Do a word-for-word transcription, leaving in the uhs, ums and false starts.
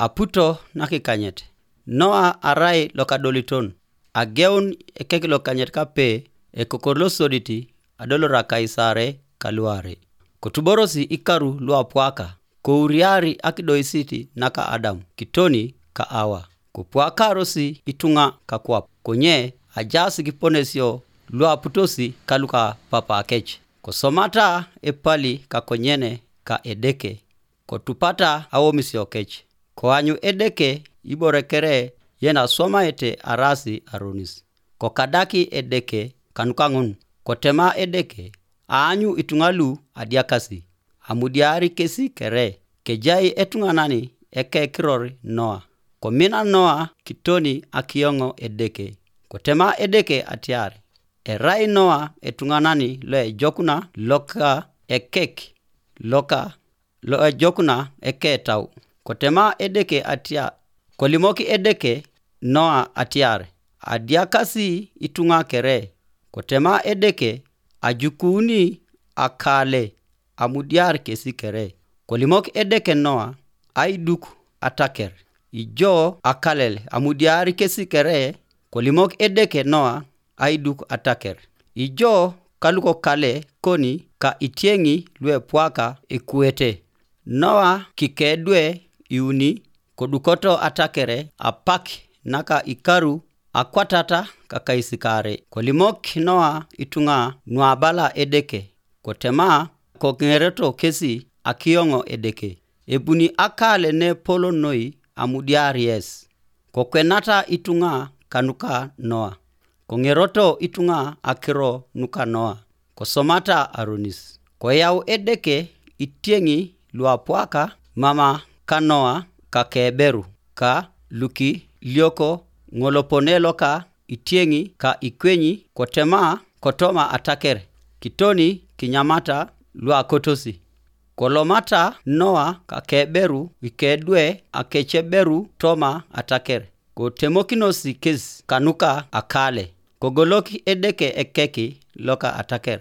Aputo nakikanyet. Noa arai lokadoliton. Ageun ekek lokanyet kape ekokor losodit adolora Kaisare kaluare. Kotuborosi ikaru luapwaka, kouriari akidoisit naka Adam kitoni ka Awa. Kopwakarosi ituŋa kakwap, konye ajaas kiponesio luaputosi kaluka papakec. Kosomata epali kakonyene ka Edeke, kotupata awomisio kec. Koanyu Edeke ibore kere yen aswamaete arasi aronis. Kokadaki Edeke kanuka ŋun, kotema Edeke, aanyu ituŋa lu adiakasi, amudiari kesi kere, kejai etuŋanan ekekiror Noa. Komina Noa kitoni akiyoŋo Edeke. Kotema Edeke atiar, erai Noa etuŋanan loejokuna loka ekek, loka loejokuna eketau. Kotema Edeke atia, kolimok Edeke Noa atiar, adiakasi ituŋa kere. Kotema Edeke, ajukuuni akale, amudiar kesi kere. Kolimok Edeke Noa, aiduk ataker. Ijo akalel, amudiar kesi kere. Kolimok Edeke Noa, aiduk ataker. Ijo kalukokale koni ka itieŋi luepwaka ekuete. Noa kikedwe iuni kodukoto atakere apak naka ikaru akwatata kakaisikaare. Kolimok Noa ituŋa nuabala Edeke, kotema koŋereto kesi akiyoŋo Edeke. Ebuni akale nepolo noi amudiar yes. Kokwenata ituŋa kanuka Noa. Koŋeroto ituŋa akiro nuka Noa. Kosomata aronis. Koyau Edeke itieŋi luapwaka mama ka Noa kakeberu, ka lukilioko ŋolopone loka itieŋi ka ikwenyi kotema kotoma ataker, kitoni kinyamata luakotosi. Kolomata Noa kakeberu ikedwe akeceberu toma ataker, kotemokinosi kes kanuka akale, kogolok Edeke ekek loka ataker.